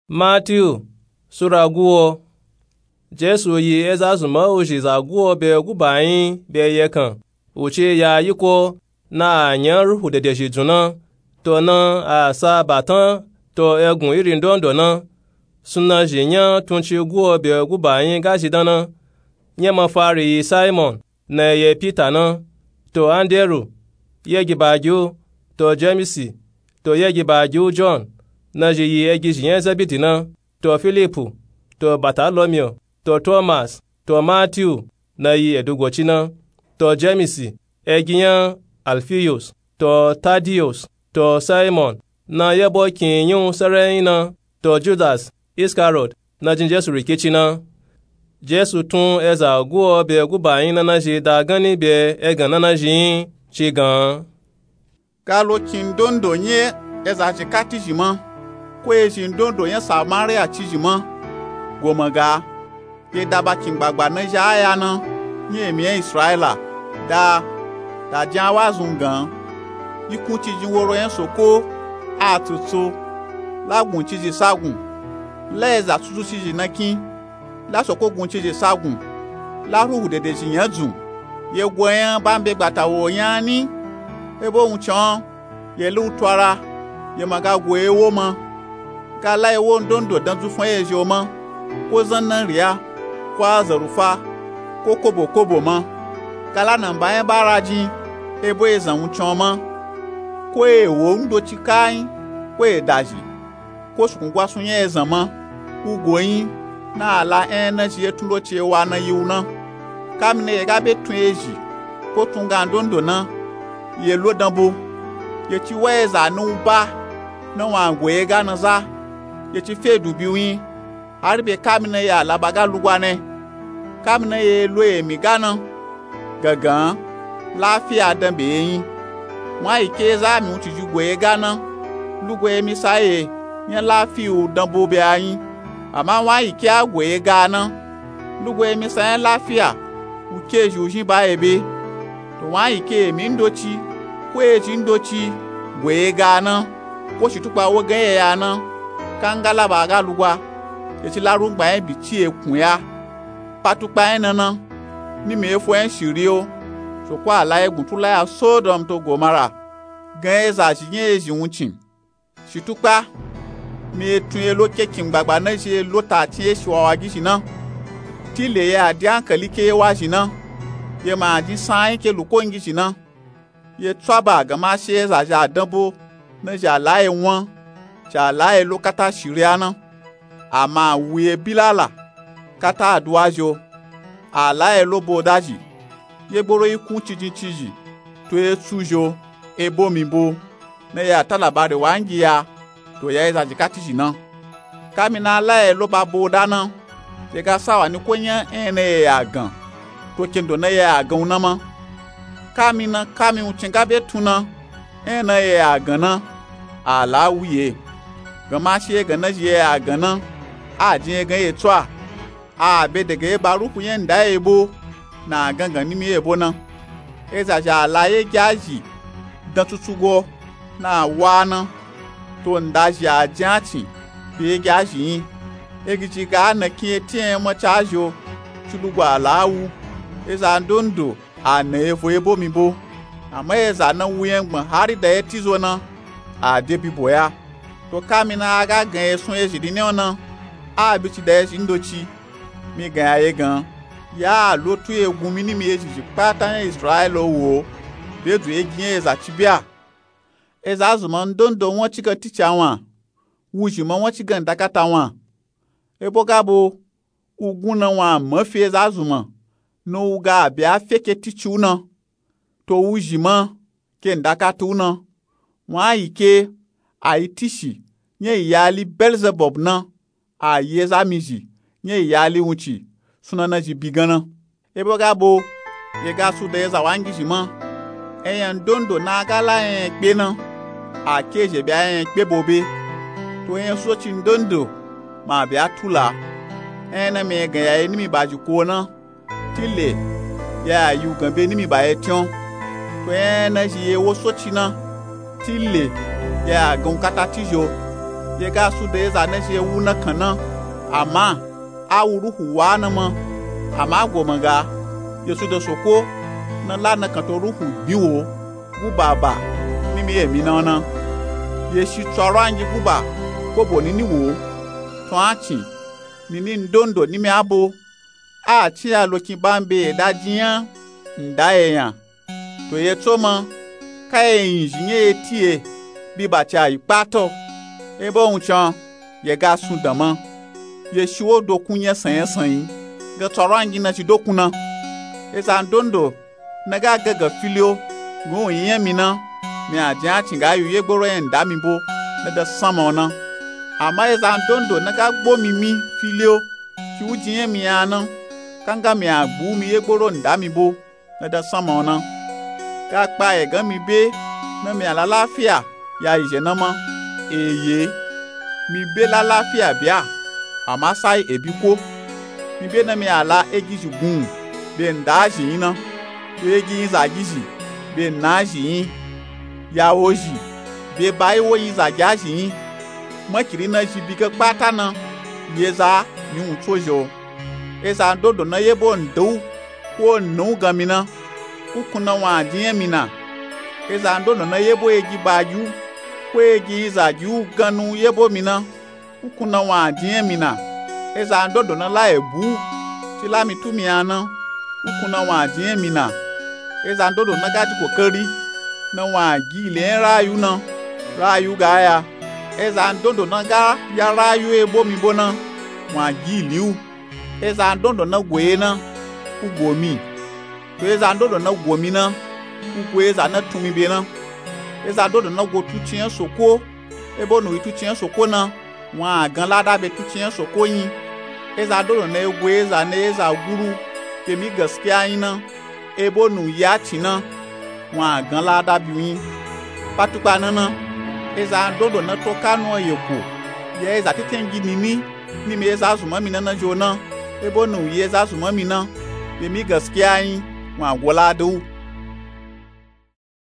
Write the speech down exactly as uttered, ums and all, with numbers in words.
Matiyu sura guwo. Jesu yi eza zunma uzhi za guwo be guba nyi be yekan, u ci ya yiko na a nya ruhu dedezhi dzun na, to na a sa batan to egun iri ndondo na. Sunazhi nya tunci guwo be guba nyi ga zhi dan na. Nya mafari yi Simon, na ye Pita na, to Anderu, yegi ba gi u, to Jemisi, to yegi ba gi u Jon, nazhi yi egizhi nya Zebidi na, to Filipu, to Batalomiyo, to Tomas, to Matiyu, na yi edugoci na, to Jemisi, egi nya Alfiyus, to Tadiyus, to Simon, na yebo kin nyi u serenyi na, to Judas Iskariyot, na jin Jesu rikici na. Jesu tun eza guwo be guba nyi nanazhi da ganni be egan nanazhi nyi, ci gan. Ga lokin ndondo nyi eza zhi kati zhi ma, ko ezhi ndondo nya Samariya ci zhi ma, goma ga, ye da ba kin gbagba nazhi a ya na, nyi emi nya Israyila, da, da jin a wazun gan, yikun ci jin woro nya Soko a tsutsu, la gun ci zhi sagun, la eza tsutsu ci zhi na kin, la Soko gun ci zhi sagun, la ruhu dedezhi nya dzun, ye go nya ba n be gbata wo nya ni, ebo wuncin o, ye lu u twara, ye ma ga go ewo ma. Ga la ewo ndondo dan dzufan ye zhi o ma, ko zannariya, ko azarufa, ko kobo kobo ma. Ga la namba nya ba ra jin, ebo ezan wuncin o ma, ko ewo ndoci kayin, ko edazhi, ko sukun gwasun nya ezan ma, u go nyi, na a la nya nazhi ye tun loci ewa na yi u na. Kamina ye ga be tun ezhi, ko tun gan ndondo na, ye lo danbo, ye ci wa eza na u ba, na wan go ye ga na za, ye ci fe dubi u nyi, hari be kamina ye alaba ga lugwa ne. Kamina ye lo emi ga na, gangan, lafiya dan be ye nyi. Wan yi ke eza mi wunciji go ye ga na, lugwa emi sa ye nya lafiya u danbo be a nyi. Ama wan yi ke a go ye ga na, lugwa emi sa nya lafiya u ke ezhi u zhin ba ye be. To wan yi ke emi ndoci, ko ezhi ndoci go ye ga na, ko shitukpa wo gan ye ya na, ka n ga laba ga lugwa, ye ci la rungba nya bi ci ye kun ya. Pa tukpa nya na na, nimi efo nya shiri o, Soko a la ye gun tula ya Sodom to Gomara, gan ezazhi nya ezhi wuncin. Shitukpa, mi etun ye lo ke kin gbagba nazhi ye lo ta tin ye shi wawa gizhi na. Tile ye a di ankali ke ye wazhi na, ye ma a jin sanyi ke luko ngizhi na. Ye tswaba gama she ezazhi a danbo nazhi a la ye wan, zhi a la ye lo kata shiri a na. Ama a wu ye bilala, kata aduwa zhi o, a la ye lo bo dazhi, ye gboro yikun cijin cizhi, to ye tsu zhi o, ebo mi bo, na ye a ta labari wa ngi ya, to ya ezazhi kati zhi na. Kamina a la ye lo ba bo da na, ye ga sawa ni ko nya nya na ye ya gan, to kendo na ye ya gan u na ma. Kamina kami wuncin ga be tun na, nya na ye ya gan na, a la wu ye. Gama she ye gan nazhi ye ya gan na, a jin ye gan ye tsu a, a be dege ye ba ruhu nya nda ye bo, na a gangan nimi ye bo na. Ezazhi a la ye gi azhi dan tsutsugo, na a wa na, to nda zhi a jin a cin be ye gi azhi nyi. Egizhi ga a na kin ye ti nya nya maca zhi o, ci lugwa a la wu, eza ndondo a na ye vo ye bo mi bo. Ama eza na wu nya gbon hari da ye ti zo na, a de bibo ya. To kamina a ga gan ye sun ezhi nini o na, a bi ci da ezhi ndoci, mi gan ya ye gan, ya a lo tu ye gun mi nimi ezhizhi kpata nya Israyila o wo, be dzu ye gi nya eza ci bia. Eza zunma ndondo wan ci gan tici a wan, wuzhi ma wan ci gan ndakata wan. Ebo ga bo, u gun na wan a ma fi eza zunma, na u ga a be a fe ke tici u na, to wuzhi ma ke ndakata u na. Wan yi ke, a yi tishi nya iyali Belzebub na, a yi eza mizhi nya iyali wunci, sunana zhi bi gan na. Ebo ga bo, ye ga su da eza wangizhi ma. Enya ndondo na a ga la nya nya kpe na, a ke zhi be a nya nya kpe bo be. To enya soci ndondo ma a be a tula. Enya na mi ye gan ya ye nimi ba zhi ko na, tile ya a yi u gan be nimi ba ye tin o. To enya na zhi ye wo soci na, tile ya a gan u kata ti zhi o. ye ga su da eza na zhi ye wu nakan na. Ama a wu ruhu wa na ma. Ama a go ma ga ye su da soko na la nakan to ruhu gbi wo. Guba ba nimi emi na na. Ye shi tsorongi guba kobo nini wo. Tun a cin nini ndondo nimi a bo. A cin ya lokin ba n be ye da jin nya nda ye nya. To ye tso ma ka ye yin zhi nya ye ti ye bi ba ci a yi kpato. Ebo wun can ye ga sun dan ma. Ye shi wo dokun nyasan nyasan yi ga tsorongi na ci dokun na. Eza ndondo na ga gangan fili o ngu wu yin nya mi na. Mi a jin a cin ga yi wu yegboro nya nda mi bo na da sanma o na. Ama eza ndondo na ga gbo mi mi fili o ci wu jin nya mi ya na. Kanga mi a gbu mi yegboro nda mi bo na da sanma o na. Ga kpa ye gan mi be na mi a lalafiya ya yi zhe na ma. Eye mi be lalafiya bia. Ama sai ebi ko mi be na mi a la egizhi gun be nda zhi yin na. Be egi yin zagizhi be na zhi yin. Ya wo zhi be ba yi wo yin zagi a zhi yin. Makiri na zhi bi ga kpata na. Ye za mi wun tso zhi o. Eza ndondo na yebo nda wu ko nna wu gan mi na. Ukun na wun a jin nya mi na. Eza ndondo na yebo egi ba gi wu ko egi yin zagi wu gan nu yebo mi na. Ukun na wun a jin nya mi na. Eza ndondo na la ebu wu ci la mi tu mi ya na. Ukun na wun a jin nya mi na. Eza ndondo na ga ji kokari na wun a gi ili nya rayu na. Rayu ga ya. Eza ndondo na ga ya rayu ebo mi bo na wun a gi ili wu. Eza ndondo na go ye na u go mi. To eza ndondo na go mi na u go eza na tun mi be na. Eza ndondo na go tucin nya soko ebo nu yi tucin nya soko na. Wun a gan lada be tucin nya soko yin. Eza ndondo na yi go eza na eza guru be mi gaskiya yin na. Ebo nu yi a cin na wun a gan lada bi wu yin. Patukpa na na eza ndondo na to ka nu ye ko. Ya eza teten gi nini nimi eza zunman mi na na zhi o na. Ebo nu yi eza zunman mi na be mi gaskiya yin. Wun a go lada wu.